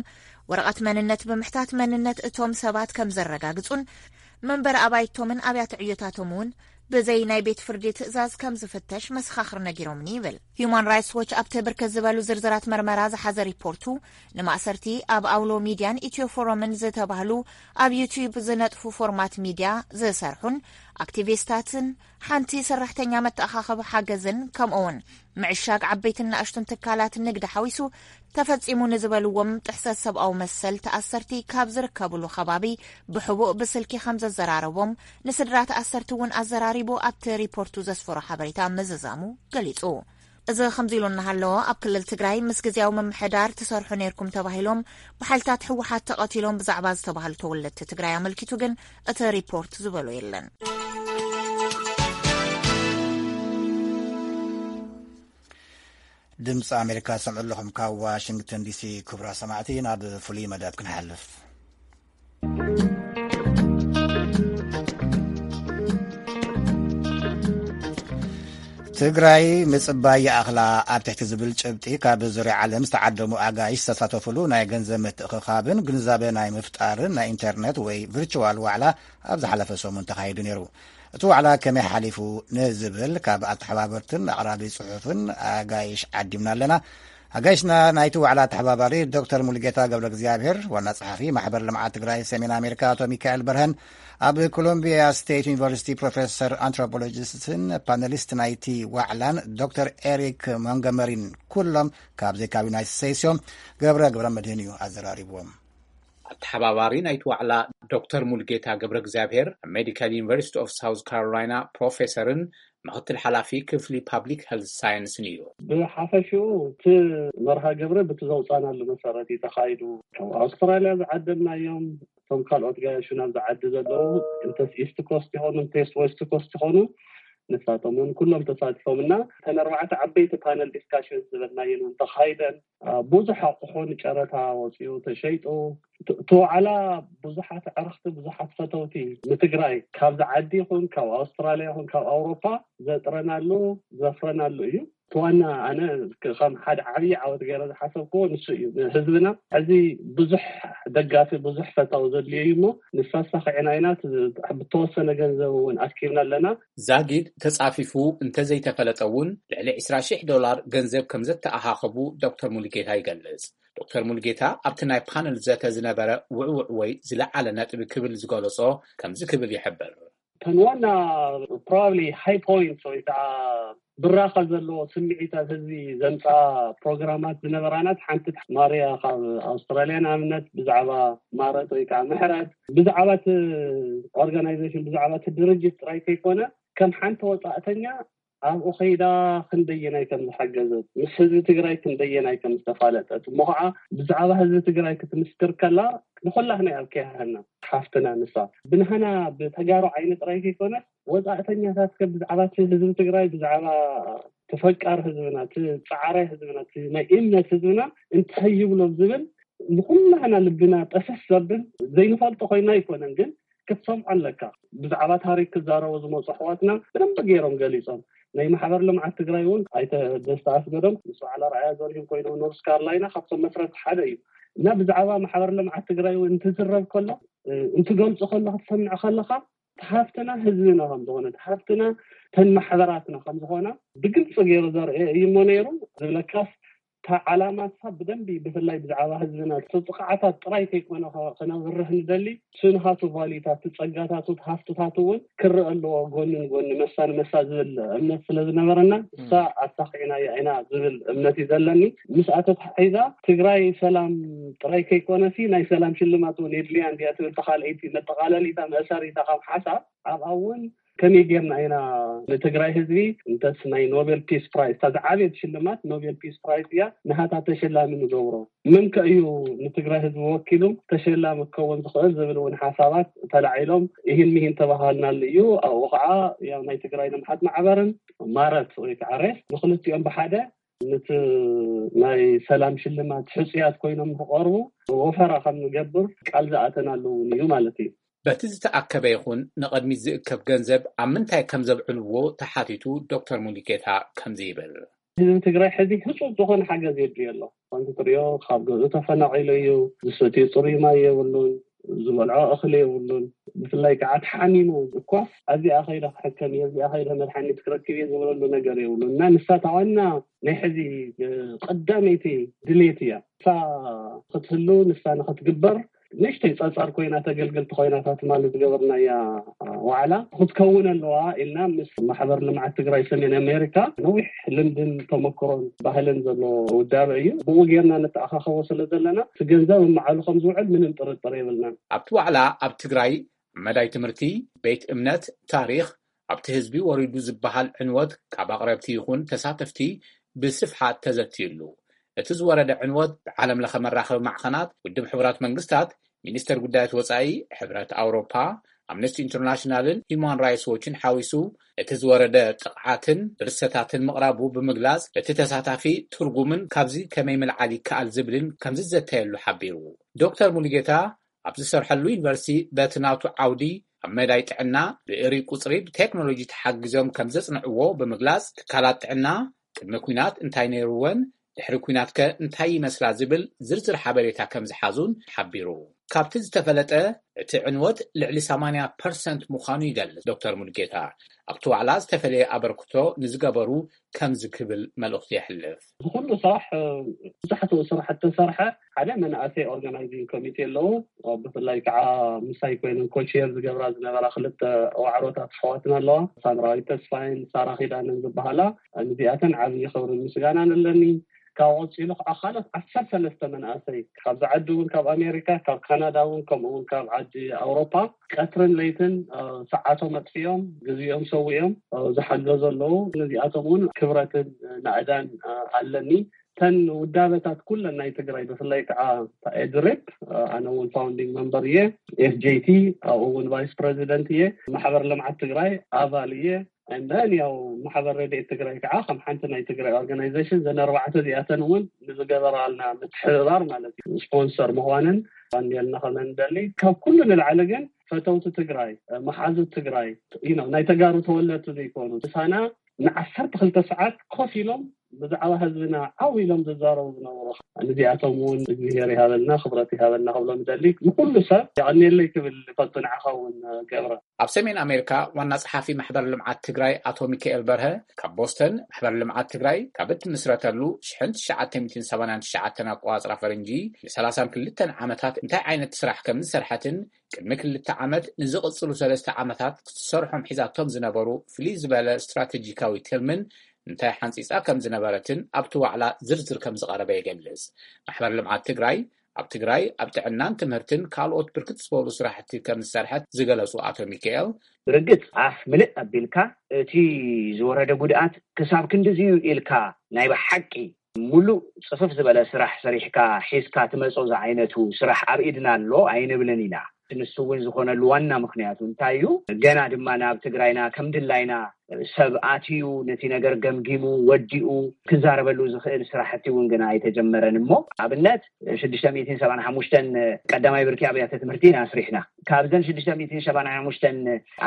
ወረቐት መንነት ብምሕታት መንነት እቶም ሰባት ከም ዘረጋግጹን መንበሪ ኣባይቶምን ኣብያተ ዕዮታቶም እውን ብዘይ ናይ ቤት ፍርዲ ትእዛዝ ከም ዝፍተሽ መሰኻኽር ነጊሮምኒ ይብል። ሂዩማን ራይትስ ዎች ኣብቲ ብርክት ዝበሉ ዝርዝራት መርመራ ዝሓዘ ሪፖርቱ ንማእሰርቲ ኣብ ኣውሎ ሚድያን ኢትዮ ፎረምን ዝተባህሉ ኣብ ዩትዩብ ዝነጥፉ ፎርማት ሚድያ ዝሰርሑን ኣክቲቪስታትን ሓንቲ ሰራሕተኛ መተኣኻኸቢ ሓገዝን ከምኡውን ምዕሻግ ዓበይትን ንኣሽቱን ትካላት ንግዲ ሓዊሱ ተፈጺሙ ንዝበልዎም ጥሕሰት ሰብኣዊ መሰል ተኣሰርቲ ካብ ዝርከብሉ ከባቢ ብሕቡእ ብስልኪ ከም ዘዘራረቦም ንስድራ ተኣሰርቲ እውን ኣዘራሪቡ ኣብቲ ሪፖርቱ ዘስፈሮ ሓበሬታ ምዝዛሙ ገሊጹ። እዚ ከምዚ ኢሉ እናሃለዎ፣ ኣብ ክልል ትግራይ ምስ ግዝያዊ ምምሕዳር ትሰርሑ ነይርኩም ተባሂሎም ብሓይልታት ህወሓት ተቐቲሎም ብዛዕባ ዝተባህሉ ተወለድቲ ትግራይ ኣመልኪቱ ግን እቲ ሪፖርት ዝበሎ የለን። ድምፂ ኣሜሪካ ሰምዑ ኣለኹም ካብ ዋሽንግተን ዲሲ። ክቡራ ሰማዕቲ፣ ናብ ፍሉይ መደብ ክንሓልፍ። ትግራይ ምጽባይ ይኣኽላ ኣብ ትሕቲ ዝብል ጭብጢ ካብ ዙርያ ዓለም ዝተዓደሙ ኣጋይሽ ዝተሳተፉሉ ናይ ገንዘብ ምትእኽኻብን ግንዛበ ናይ ምፍጣርን ናይ ኢንተርነት ወይ ቪርቹዋል ዋዕላ ኣብ ዝሓለፈ ሰሙን ተኻሂዱ ነይሩ። እቲ ዋዕላ ከመይ ሓሊፉ ንዝብል ካብ ኣተሓባበርትን ኣቕራቢ ጽሑፍን ኣጋይሽ ዓዲምና ኣለና። ኣጋይሽና ናይቲ ዋዕላ ኣተሓባባሪ ዶክተር ሙሉጌታ ገብረ እግዚኣብሔር፣ ዋና ጸሓፊ ማሕበር ልምዓት ትግራይ ሰሜን ኣሜሪካ ኣቶ ሚካኤል በርሀን፣ ኣብ ኮሎምቢያ ስቴት ዩኒቨርሲቲ ፕሮፌሰር ኣንትሮፖሎጂስትን ፓነሊስት ናይቲ ዋዕላን ዶክተር ኤሪክ ሞንጎመሪን፣ ኩሎም ካብ ዘይካብ ዩናይትድ ስቴትስ እዮም። ገብረ ገብረ መድህን እዩ ኣዘራሪብዎም። ኣተሓባባሪ ናይቲ ዋዕላ ዶክተር ሙሉጌታ ገብረ እግዚኣብሔር፣ ሜዲካል ዩኒቨርሲቲ ኦፍ ሳውዝ ካሮላይና ፕሮፌሰርን ምኽትል ሓላፊ ክፍሊ ፓብሊክ ሄልት ሳይንስን እዩ። ብሓፈሽኡ እቲ መርሃ ግብሪ ብቲ ዘውፃናሉ መሰረት እዩ ተኻይዱ። ካብ ኣውስትራልያ ዝዓደምናዮም፣ እቶም ካልኦት ጋያሹ ናብዚ ዓዲ ዘለዉ፣ እንተስ ኢስት ኮስት ይኾኑ እንተስ ዌስት ኮስት ይኾኑ፣ ንሳቶም እውን ኩሎም ተሳቲፎም እና እተን ኣርባዕተ ዓበይቲ ፓነል ዲስካሽን ዝበልናየን እውን ተኻይደን። አ፣ ብዙሕ ኣቑሑ ንጨረታ ወፂኡ ተሸይጡ። እቲ እቲ ዋዕላ ብዙሓት ኣዕርኽቲ፣ ብዙሓት ፈተውቲ ንትግራይ ካብዚ ዓዲ ይኹን ካብ ኣውስትራልያ ይኹን ካብ ኣውሮፓ ዘጥረናሉ ዘፍረናሉ እዩ። እቲ ዋና ኣነ ከ-፣ ከም ሓደ ዓብዪ ዓወት ገይረ ዝሓሰብክዎ ንሱ እዩ። ንህዝብና ሕዚ ብዙሕ ደጋፊ፣ ብዙሕ ፈታዊ ዘድልዮ እዩ እሞ ንሳ ኣሳኺዕና ኢና። እቲ ብተወሰነ ገንዘብ እውን ኣኪብና ኣለና። ዛጊድ ተጻፊፉ እንተዘይተፈለጠ እውን፣ ልዕሊ ዕስራ ሺሕ ዶላር ገንዘብ ከም ዘተኣኻኸቡ ዶክተር ሙሉጌታ ይገልጽ። ዶክተር ሙሉጌታ ኣብቲ ናይ ፓነል ዘተ ዝነበረ ውዕውዕ ወይ ዝለዓለ ነጥቢ ክብል ዝገለጾ ከምዚ ክብል ይሕብር። እተን ዋና ፕሮባብሊ ሃይ ፖይንት ወይ ከዓ ብራኸ ዘለዎ ስምዒታት ህዝቢ ዘምፅኣ ፕሮግራማት ዝነበራናት ሓንቲ ማርያ ካብ ኣውስትራልያ ንኣብነት ብዛዕባ ማረት ወይ ከዓ ምሕረት ብዛዕባ እቲ ኦርጋናይዜሽን ብዛዕባ እቲ ድርጅት ጥራይ ከይኮነ ከም ሓንቲ ወፃእተኛ ኣብኡ ከይዳ ክንደየናይ ከም ዝሓገዘት፣ ምስ ህዝቢ ትግራይ ክንደየናይ ከም ዝተፋለጠት እሞ ከዓ ብዛዕባ ህዝቢ ትግራይ ክትምስክር ከላ ንኩላህና ኣብ ከያህና ሓፍትና ንሳ ብንሃና ብተጋሩ ዓይኒ ጥራይ ከይኮነ ወፃእተኛታት ከ ብዛዕባ እቲ ህዝቢ ትግራይ ብዛዕባ ተፈቃሪ ህዝብና እቲ ፃዕራይ ህዝብና እቲ ናይ እምነት ህዝብና እንታይ ይብሎ ዝብል ንኩላህና ልብና ጠሰስ ዘብል ዘይንፈልጦ ኮይና ኣይኮነን ግን ክትሰምዖ ኣለካ። ብዛዕባ ታሪክ ክዛረቡ ዝመፁ ኣሕዋትና ብደንብ ገይሮም ገሊፆም። ናይ ማሕበር ልምዓት ትግራይ እውን ኣይተ ደስታ ኣስገዶም ምስ በዓል ኣርኣያ ዘርሂን ኮይኖም ኖርስ ካርላይና ካብቶም መስረት ሓደ እዩ እና ብዛዕባ ማሕበር ልምዓት ትግራይ እውን እንትዝረብ ከሎ እንትገልፁ ከሎ ክትሰምዕ ከለካ ተሃፍትና ህዝብና ከምዝኾነ ተሃፍትና ተን ማሕበራትና ከምዝኾነ ብግልፂ ገይሩ ዘርአ እዩ እሞ ነይሩ ዝብለካስ እታ ዓላማ እሳ ብደንቢ ብፍላይ ብዛዕባ ህዝብና እቲ ጥቕዓታት ጥራይ ከይኮነ ከ- ከነብርህ ንደሊ ስንሃቱ ቫሊታት እቲ ጸጋታቱ እቲ ሃፍትታቱ እውን ክረአ ኣለዎ ጎኒ ንጎኒ መሳ ንመሳ ዝብል እምነት ስለ ዝነበረና እሳ ኣሳኺዕናያ ኢና ዝብል እምነት እዩ ዘለኒ። ምስኣ ተተሓሒዛ ትግራይ ሰላም ጥራይ ከይኮነሲ ናይ ሰላም ሽልማት እውን የድልያ እንድያ ትብል ተኻልአይቲ መጠቓለሊታ መእሰሪታ ካብ ሓሳብ ኣብኣ እውን ከመይ ጌርና ኢና ንትግራይ ህዝቢ እንተስ ናይ ኖቤል ፒስ ፕራይዝ እታ ዝዓበየት ሽልማት ኖቤል ፒስ ፕራይዝ እያ ንሃታ ተሸላሚ ንገብሮ? መን ከ እዩ ንትግራይ ህዝቢ ወኪሉ ተሸላሚ ክከውን ዝኽእል ዝብል እውን ሓሳባት ተላዒሎም ይህን ሚህን ተባሃልናሉ እዩ። ኣብኡ ከዓ ያው ናይ ትግራይ ልምዓት ማዕበርን ማረት ወይ ከዓ ሬስ ንክልቲኦም ብሓደ ነቲ ናይ ሰላም ሽልማት ሕፁያት ኮይኖም ክቐርቡ ወፈራ ከም ንገብር ቃል ዝኣተናሉ እውን እዩ ማለት እዩ። በቲ ዝተኣከበ ይኹን ንቐድሚት ዝእከብ ገንዘብ ኣብ ምንታይ ከም ዘብዕልዎ ተሓቲቱ ዶክተር ሙሉጌታ ከምዚ ይብል። ህዝቢ ትግራይ ሕዚ ህፁፅ ዝኾነ ሓገዝ የድልዮ ኣሎ። ከምቲ ትሪኦ ካብ ገዝኡ ተፈናቒሉ እዩ፣ ዝሰትዮ ፅሩይ ማይ የብሉን፣ ዝበልዖ እኽሊ የብሉን። ብፍላይ ከዓ ተሓሚሙ እኳስ ኣብዚኣ ከይደ ክሕከም እየ፣ ኣብዚኣ ከይደ መድሓኒት ክረክብ እየ ዝበለሉ ነገር የብሉን እና ንሳ እታ ዋና ናይ ሕዚ ቀዳመይቲ ድሌት እያ። ንሳ ክትህሉ ንሳ ንክትግበር ንእሽተይ ፀፃር ኮይና ተገልገልቲ ኮይናታት ማለት ዝገበርናያ ዋዕላ ክትከውን ኣለዋ ኢልና ምስ ማሕበር ልምዓት ትግራይ ሰሜን ኣሜሪካ ነዊሕ ልምድን ተመክሮን ባህልን ዘለዎ ውዳበ እዩ። ብኡ ጌርና ንተኣኻኸቦ ስለ ዘለና እቲ ገንዘብ እማዓሉ ከም ዝውዕል ምንም ጥርጥር የብልናን። ኣብቲ ዋዕላ ኣብ ትግራይ መዳይ ትምህርቲ፣ ቤት እምነት፣ ታሪኽ፣ ኣብቲ ህዝቢ ወሪዱ ዝበሃል ዕንወት ካብ ኣቕረብቲ ይኹን ተሳተፍቲ ብስፍሓት ተዘትዩሉ። እቲ ዝወረደ ዕንወት ብዓለም ለኸ መራኸቢ ማዕኸናት፣ ውድብ ሕቡራት መንግስታት፣ ሚኒስተር ጉዳያት ወጻኢ ሕብረት ኣውሮፓ፣ ኣምነስቲ ኢንተርናሽናልን ሂዩማን ራይትስ ዎችን ሓዊሱ፣ እቲ ዝወረደ ጥቕዓትን ብርሰታትን ምቕራቡ ብምግላጽ፣ እቲ ተሳታፊ ትርጉምን ካብዚ ከመይ ምልዓል ይከኣል ዝብልን ከም ዝዘተየሉ ሓቢሩ። ዶክተር ሙሉጌታ ኣብ ዝሰርሐሉ ዩኒቨርሲቲ በቲ ናቱ ዓውዲ ኣብ መዳይ ጥዕና ብእሪ ቁጽሪ ብቴክኖሎጂ ተሓጊዞም ከም ዘጽንዕዎ ብምግላጽ፣ ትካላት ጥዕና ቅድሚ ኲናት እንታይ ነይርወን፣ ድሕሪ ኲናት ከ እንታይ ይመስላ ዝብል ዝርዝር ሓበሬታ ከም ዝሓዙን ሓቢሩ። ካብቲ ዝተፈለጠ፣ እቲ ዕንወት ልዕሊ ሰማንያ ፐርሰንት ምዃኑ ይገልጽ ዶክተር ሙሉጌታ። ኣብቲ ዋዕላ ዝተፈለየ ኣበርክቶ ንዝገበሩ ከምዚ ክብል መልእኽቱ የሕልፍ። ብኩሉ ስራሕ፣ ብዙሓት ስራሕቲ ተሰርሐ። ሓደ መንእሰይ ኦርጋናይዚንግ ኮሚቴ ኣለዉ። ብፍላይ ከዓ ምሳይ ኮይነን ኮቼር ዝገብራ ዝነበራ ክልተ ዋዕሮታት ኣሕዋትና ኣለዋ። ሳምራዊት ተስፋይን ሳራ ኪዳንን ዝበሃላ። ንዚኣተን ዓብዪ ክብርን ምስጋናን ኣለኒ። ካብ ቀፂሉ ከዓ ካልኦት ዓሰርተ ሰለስተ መናእሰይ ካብዚ ዓዲ እውን፣ ካብ ኣሜሪካ፣ ካብ ካናዳ እውን፣ ከምኡ እውን ካብ ዓዲ ኣውሮፓ ቀትርን ለይትን፣ እ፣ ሰዓቶም ኣጥፊኦም፣ ግዜኦም ሰዊኦም፣ እ፣ ዝሓገዙ ኣለዉ። ነዚኣቶም እውን ክብረትን፣ እ፣ ናእዳን፣ እ፣ ኣለኒ። እተን ውዳበታት ኩለን ናይ ትግራይ፣ ብፍላይ ከዓ ኤድሬፕ፣ እ፣ ኣነ እውን ፋውንዲንግ መምበር እየ፣ ኤፍጄቲ ኣብኡ እውን ቫይስ ፕሬዚደንት እየ፣ ማሕበር ልምዓት ትግራይ ኣባል እየ። And then ያው ማሕበር ረድኤት ትግራይ ከዓ ከም ሓንቲ ናይ ትግራይ ኦርጋናይዜሽን፣ ዘን ኣርባዕተ እዚኣተን እውን ንዝገበራልና ምትሕብባር ማለት እዩ፣ ስፖንሰር ምዃንን ባንዴልና ከም እንደሊ። ካብ ኩሉ ንላዕሊ ግን ፈተውቲ ትግራይ፣ መሓዙት ትግራይ፣ you know፣ ናይ ተጋሩ ተወለድቲ ዘይኮኑ፣ ምሳና ንዓሰርተ ክልተ ሰዓት ኮፍ ኢሎም ብዛዕባ ህዝብና ዓው ኢሎም ዝዛረቡ ዝነበሩ፣ ንዚኣቶም እውን እግዚኣብሔር ይሃበልና፣ ክብረት ይሃበልና ክብሎም ይደሊ። ንኩሉ ሰብ የቐንየለይ ክብል ይፈቱ፣ ንዓኻ እውን ገብረ። ኣብ ሰሜን ኣሜሪካ ዋና ጸሓፊ ማሕበር ልምዓት ትግራይ ኣቶ ሚካኤል በርሀ ካብ ቦስተን፣ ማሕበር ልምዓት ትግራይ ካብ እትምስረተሉ ሽሕን ትሽዓተ ሚእትን ሰማንያን ትሽዓተን ኣቆጻጽራ ፈረንጂ ንሰላሳን ክልተን ዓመታት እንታይ ዓይነት ስራሕ ከም ዝሰርሐትን ቅድሚ ክልተ ዓመት ንዝቕጽሉ ሰለስተ ዓመታት ክትሰርሖም ሒዛቶም ዝነበሩ ፍልይ ዝበለ ስትራተጂካዊ ትልምን እንታይ ሓንጺጻ ከም ዝነበረትን ኣብቲ ዋዕላ ዝርዝር ከም ዝቐረበ ይገልጽ። ማሕበር ልምዓት ትግራይ ኣብ ትግራይ ኣብ ጥዕናን ትምህርትን ካልኦት ብርክት ዝበሉ ስራሕቲ ከም ዝሰርሐት ዝገለጹ ኣቶ ሚካኤል፣ ብርግጽ ኣፍ ምልእ ኣቢልካ እቲ ዝወረደ ጉድኣት ክሳብ ክንድዚ እዩ ኢልካ ናይ ብሓቂ ሙሉእ ጽፍፍ ዝበለ ስራሕ ሰሪሕካ ሒዝካ ትመጾ ዝዓይነቱ ስራሕ ኣብ ኢድና ኣሎ ኣይንብልን ኢና። ንሱ እውን ዝኾነሉ ዋና ምኽንያቱ እንታይ እዩ? ገና ድማ ናብ ትግራይና ከም ድላይና ሰብ ኣትዩ ነቲ ነገር ገምጊሙ ወዲኡ ክዛረበሉ ዝኽእል ስራሕቲ እውን ግና ኣይተጀመረን። እሞ ኣብነት ሽዱሽተ ሚእትን ሰብዓን ሓሙሽተን ቀዳማይ ብርኪ ኣብያተ ትምህርቲ ኢና ኣስሪሕና። ካብዘን ሽዱሽተ ሚእትን ሰብዓን ሓሙሽተን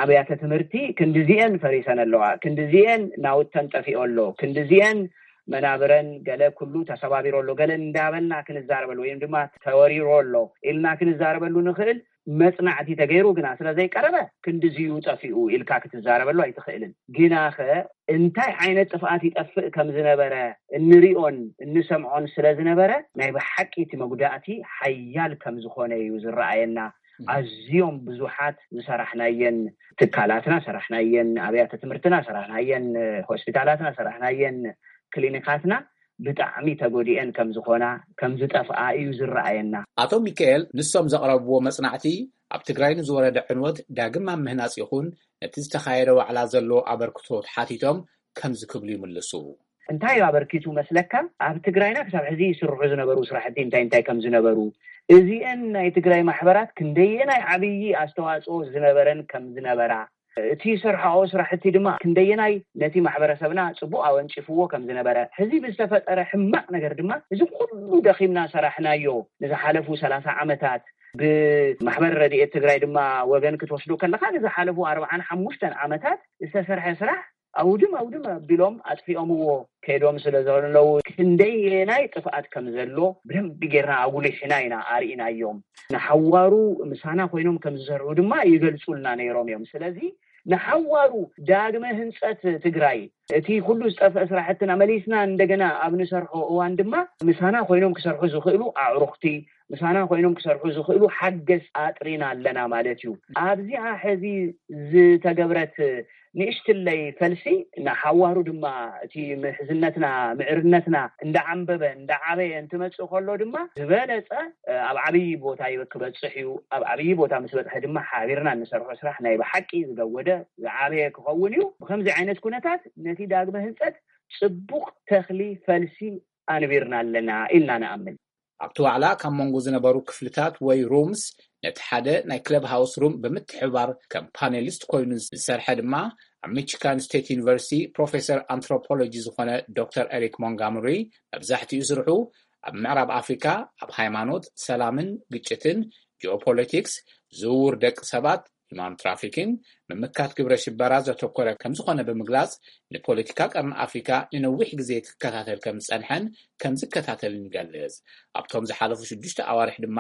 ኣብያተ ትምህርቲ ክንድዚኤን ፈሪሰን ኣለዋ፣ ክንድዚኤን ናውተን ጠፊኦ ኣሎ፣ ክንድዚኤን መናብረን ገለ ኩሉ ተሰባቢሩ ኣሎ፣ ገለ እንዳበልና ክንዛረበሉ ወይም ድማ ተወሪሩ ኣሎ ኢልና ክንዛረበሉ ንኽእል መጽናዕቲ ተገይሩ ግና ስለ ዘይቀረበ ክንድዚዩ ጠፊኡ ኢልካ ክትዛረበሉ ኣይትኽእልን። ግናኸ እንታይ ዓይነት ጥፍኣት ይጠፍእ ከም ዝነበረ እንሪኦን እንሰምዖን ስለ ዝነበረ ናይ ብሓቂ እቲ መጉዳእቲ ሓያል ከም ዝኾነ እዩ ዝረኣየና። ኣዝዮም ብዙሓት ዝሰራሕናየን ትካላትና ሰራሕናየን፣ ኣብያተ ትምህርትና ሰራሕናየን፣ ሆስፒታላትና ሰራሕናየን፣ ክሊኒካትና ብጣዕሚ ተጎዲኤን ከም ዝኾና፣ ከም ዝጠፍኣ እዩ ዝረኣየና። ኣቶ ሚካኤል ንሶም ዘቕረብዎ መጽናዕቲ ኣብ ትግራይ ንዝወረደ ዕንወት ዳግም ኣብ ምህናጽ ይኹን ነቲ ዝተኻየደ ዋዕላ ዘለዎ ኣበርክቶ ተሓቲቶም ከምዚ ክብሉ ይምልሱ። እንታይ እዩ ኣበርኪቱ መስለካ? ኣብ ትግራይና ክሳብ ሕዚ ይስርሑ ዝነበሩ ስራሕቲ እንታይ እንታይ ከም ዝነበሩ፣ እዚአን ናይ ትግራይ ማሕበራት ክንደየናይ ዓብዪ ኣስተዋፅኦ ዝነበረን ከም ዝነበራ፣ እቲ ዝሰርሓኦ ስራሕቲ ድማ ክንደየናይ ነቲ ማሕበረሰብና ፅቡቅ ኣወንጭፍዎ ከም ዝነበረ፣ ሕዚ ብዝተፈጠረ ሕማቅ ነገር ድማ እዚ ኩሉ ደኺምና ሰራሕናዮ ንዝሓለፉ ሰላሳ ዓመታት፣ ብማሕበር ረድኤት ትግራይ ድማ ወገን ክትወስዶ ከለካ ንዝሓለፉ ኣርባዓን ሓሙሽተን ዓመታት ዝተሰርሐ ስራሕ ኣውድም ኣውድም ኣቢሎም ኣጥፊኦምዎ ከይዶም ስለ ዘለዉ፣ ክንደየናይ ጥፍኣት ከም ዘሎ ብደንቢ ጌርና ኣጉሊሕና ኢና ኣርኢናዮም። ንሓዋሩ ምሳና ኮይኖም ከም ዝሰርሑ ድማ ይገልጹልና ነይሮም እዮም። ስለዚ ንሓዋሩ ዳግመ ህንጸት ትግራይ፣ እቲ ኩሉ ዝጠፍአ ስራሕትና መሊስና እንደገና ኣብ ንሰርሖ እዋን ድማ ምሳና ኮይኖም ክሰርሑ ዝኽእሉ ኣዕሩኽቲ፣ ምሳና ኮይኖም ክሰርሑ ዝኽእሉ ሓገዝ ኣጥሪና ኣለና ማለት እዩ። ኣብዚኣ ሕዚ ዝተገብረት ንእሽትለይ ፈልሲ ንሓዋሩ ድማ እቲ ምሕዝነትና፣ ምዕርነትና እንዳዓንበበ እንዳዓበየ እንትመጽእ ከሎ ድማ ዝበለጸ ኣብ ዓብዪ ቦታ ይበ-፣ ክበጽሕ እዩ። ኣብ ዓብዪ ቦታ ምስ በጽሐ ድማ ሓቢርና እንሰርሖ ስራሕ ናይ ብሓቂ ዝገወደ ዝዓበየ ክኸውን እዩ። ብከምዚ ዓይነት ኩነታት ነቲ ዳግመ ህንጸት ጽቡቕ ተኽሊ ፈልሲ ኣንቢርና ኣለና ኢልና ንኣምን። ኣብቲ ዋዕላ ካብ መንጎ ዝነበሩ ክፍልታት ወይ ሩምስ ነቲ ሓደ ናይ ክለብ ሃውስ ሩም ብምትሕብባር ከም ፓኔሊስት ኮይኑ ዝሰርሐ ድማ ኣብ ሚቺጋን ስቴት ዩኒቨርሲቲ ፕሮፌሰር ኣንትሮፖሎጂ ዝኾነ ዶክተር ኤሪክ ሞንጋምሪ፣ መብዛሕትኡ ስርሑ ኣብ ምዕራብ ኣፍሪካ ኣብ ሃይማኖት፣ ሰላምን ግጭትን፣ ጂኦፖለቲክስ፣ ዝውውር ደቂ ሰባት፣ ሂማን ትራፊኪንግ፣ ምምካት ግብረ ሽበራ ዘተኮረ ከምዝኾነ ብምግላጽ፣ ንፖለቲካ ቀርኒ ኣፍሪካ ንነዊሕ ግዜ ክከታተል ከም ዝጸንሐን ከም ዝከታተልን ይገልጽ። ኣብቶም ዝሓለፉ ሽዱሽተ ኣዋርሕ ድማ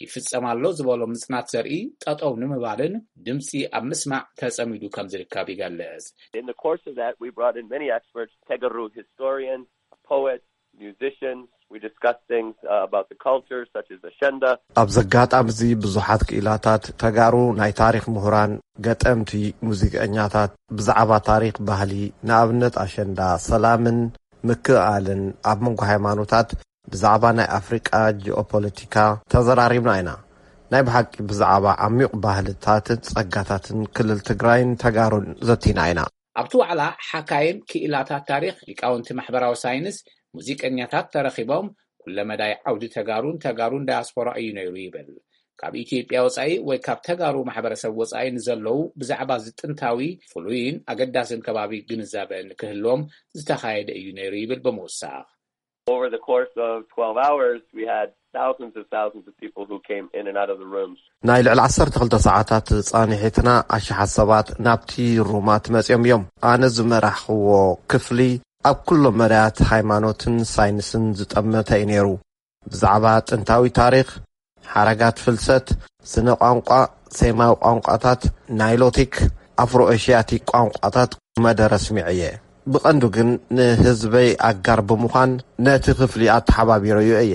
ይፍጸም ኣሎ ዝበሎ ምጽናት ዘርኢ ጠጠው ንምባልን ድምጺ ኣብ ምስማዕ ተጸሚዱ ከም ዝርከብ ይገልጽ። In the course of that, we brought in many experts, Tegaru historians, poets, musicians. We discussed things uh, about the culture, such as Ashenda. ኣብዚ ኣጋጣሚ እዚ ብዙሓት ክኢላታት ተጋሩ፣ ናይ ታሪኽ ምሁራን፣ ገጠምቲ፣ ሙዚቀኛታት፣ ብዛዕባ ታሪኽ፣ ባህሊ፣ ንኣብነት ኣሸንዳ፣ ሰላምን ምክእኣልን፣ ኣብ መንጎ ሃይማኖታት፣ ብዛዕባ ናይ ኣፍሪቃ ጂኦፖለቲካ ተዘራሪብና ኢና። ናይ ብሓቂ ብዛዕባ ዓሚቕ ባህልታትን ጸጋታትን ክልል ትግራይን ተጋሩን ዘቲና ኢና። ኣብቲ ዋዕላ ሓካይም ክኢላታት ታሪኽ፣ ሊቃውንቲ ማሕበራዊ ሳይንስ፣ ሙዚቀኛታት ተረኺቦም፣ ኩለመዳይ ዓውዲ ተጋሩን ተጋሩን ዳያስፖራ እዩ ነይሩ ይብል። ካብ ኢትዮጵያ ወጻኢ ወይ ካብ ተጋሩ ማሕበረሰብ ወጻኢ ንዘለዉ ብዛዕባ እዚ ጥንታዊ፣ ፍሉይን ኣገዳስን ከባቢ ግንዛበ ንክህልዎም ዝተኻየደ እዩ ነይሩ ይብል ብምውሳኽ። Over the course of twelve hours, we had thousands of thousands of people who came in and out of the rooms. ናይ ልዕሊ ዓሰርተ ክልተ ሰዓታት ጻንሒትና ኣሽሓት ሰባት ናብቲ ሩማት መጺኦም እዮም። ኣነ ዝመራሕክዎ ክፍሊ ኣብ ኩሎም መዳያት ሃይማኖትን ሳይንስን ዝጠመተ እዩ ነይሩ። ብዛዕባ ጥንታዊ ታሪኽ፣ ሓረጋት ፍልሰት፣ ስነ ቋንቋ፣ ሴማዊ ቋንቋታት፣ ናይሎቲክ፣ ኣፍሮ ኤሽያቲክ ቋንቋታት መደረ ስሚዐ እየ። ብቐንዱ ግን ንህዝበይ ኣጋር ብምዃን ነቲ ክፍሊ ኣተሓባቢረዮ እየ።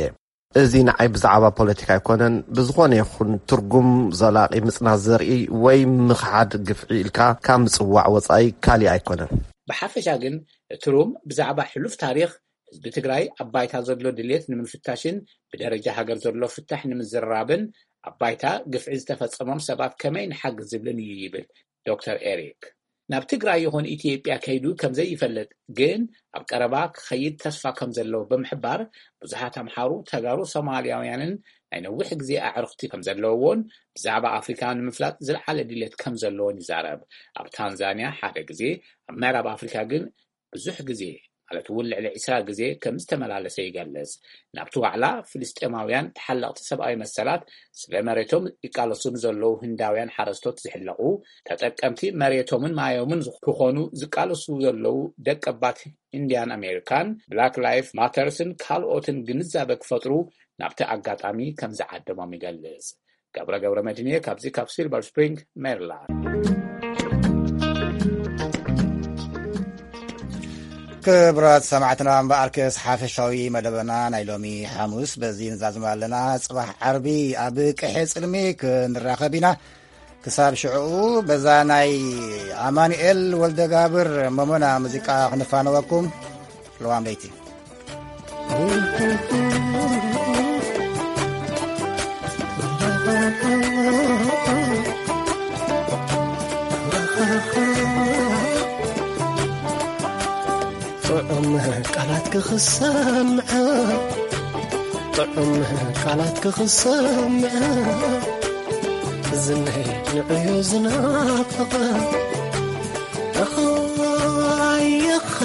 እዚ ንዓይ ብዛዕባ ፖለቲካ ኣይኮነን፣ ብዝኾነ ይኹን ትርጉም ዘላቒ ምጽናት ዘርኢ ወይ ምኽሓድ ግፍዒ ኢልካ ካብ ምጽዋዕ ወጻኢ ካሊእ ኣይኮነን። ብሓፈሻ ግን እቲ ሩም ብዛዕባ ሕሉፍ ታሪኽ ህዝቢ ትግራይ ኣብ ባይታ ዘሎ ድሌት ንምፍታሽን ብደረጃ ሃገር ዘሎ ፍታሕ ንምዝርራብን ኣብ ባይታ ግፍዒ ዝተፈጸሞም ሰባት ከመይ ንሓግዝ ዝብልን እዩ ይብል ዶክተር ኤሪክ። ናብ ትግራይ ይኹን ኢትዮጵያ ከይዱ ከም ዘይፈልጥ ግን ኣብ ቀረባ ክኸይድ ተስፋ ከም ዘለዎ ብምሕባር፣ ብዙሓት ኣምሓሩ፣ ተጋሩ፣ ሶማልያውያንን ናይ ነዊሕ ግዜ ኣዕሩኽቲ ከም ዘለውዎን ብዛዕባ ኣፍሪካ ንምፍላጥ ዝለዓለ ድሌት ከም ዘለዎን ይዛረብ። ኣብ ታንዛንያ ሓደ ግዜ፣ ኣብ ምዕራብ ኣፍሪካ ግን ብዙሕ ግዜ፣ ማለት እውን ልዕሊ ዕስራ ግዜ ከም ዝተመላለሰ ይገልጽ። ናብቲ ዋዕላ ፍልስጤማውያን ተሓለቕቲ ሰብኣዊ መሰላት፣ ስለ መሬቶም ይቃለሱ ንዘለዉ ህንዳውያን ሓረስቶት ዝሕለቑ፣ ተጠቀምቲ መሬቶምን ማዮምን ክኾኑ ዝቃለሱ ዘለዉ ደቀባት ኢንዲያን ኣሜሪካን፣ ብላክ ላይፍ ማተርስን ካልኦትን ግንዛበ ክፈጥሩ ናብቲ ኣጋጣሚ ከም ዝዓደሞም ይገልጽ። ገብረ ገብረ መድህን እየ፣ ካብዚ ካብ ሲልቨር ስፕሪንግ ሜሪላንድ። ክቡራት ሰማዕትና፣ እምበኣርከስ ሓፈሻዊ መደበና ናይ ሎሚ ሓሙስ በዚ ንዛዝም ኣለና። ጽባሕ ዓርቢ ኣብ ቅሐ ጽልሚ ክንራኸብ ኢና። ክሳብ ሽዕኡ በዛ ናይ ኣማኑኤል ወልደጋብር መሞና ሙዚቃ ክንፋነወኩም። ለዋም ለይቲ። ጥዑም ቃላት ክኽሰምዐ፣ ጥዑም ቃላት ክኽሰምዐ፣ ዝነይ ንዕዮ ዝናፍቐ። ኣኻይኻ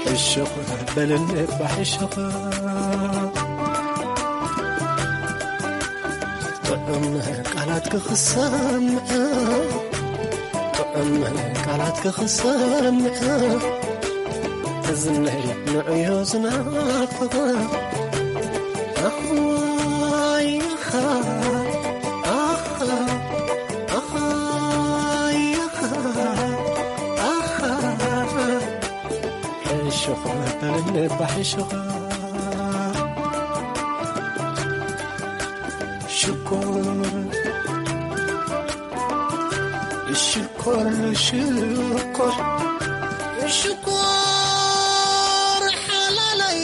ሕሹኽ በልኒ እባ ሕሹኽ። ጥዑም ቃላት ክኽሰምዐ፣ ጥዑም ቃላት ክኽሰምዐ፣ እዝነይ ንዕዮ ዝናፍቐ። ኣኻይኻ፣ ኣኻ፣ ኣኻይኻ፣ ኣኻ። ሕሹኽ በልኒ እባ ሕሹኽ። ሽኮር፣ ሽኮር፣ ሽኮር፣ ሽኮር ሓላለይ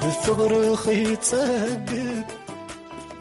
ብፍቕርኺ ጸግብ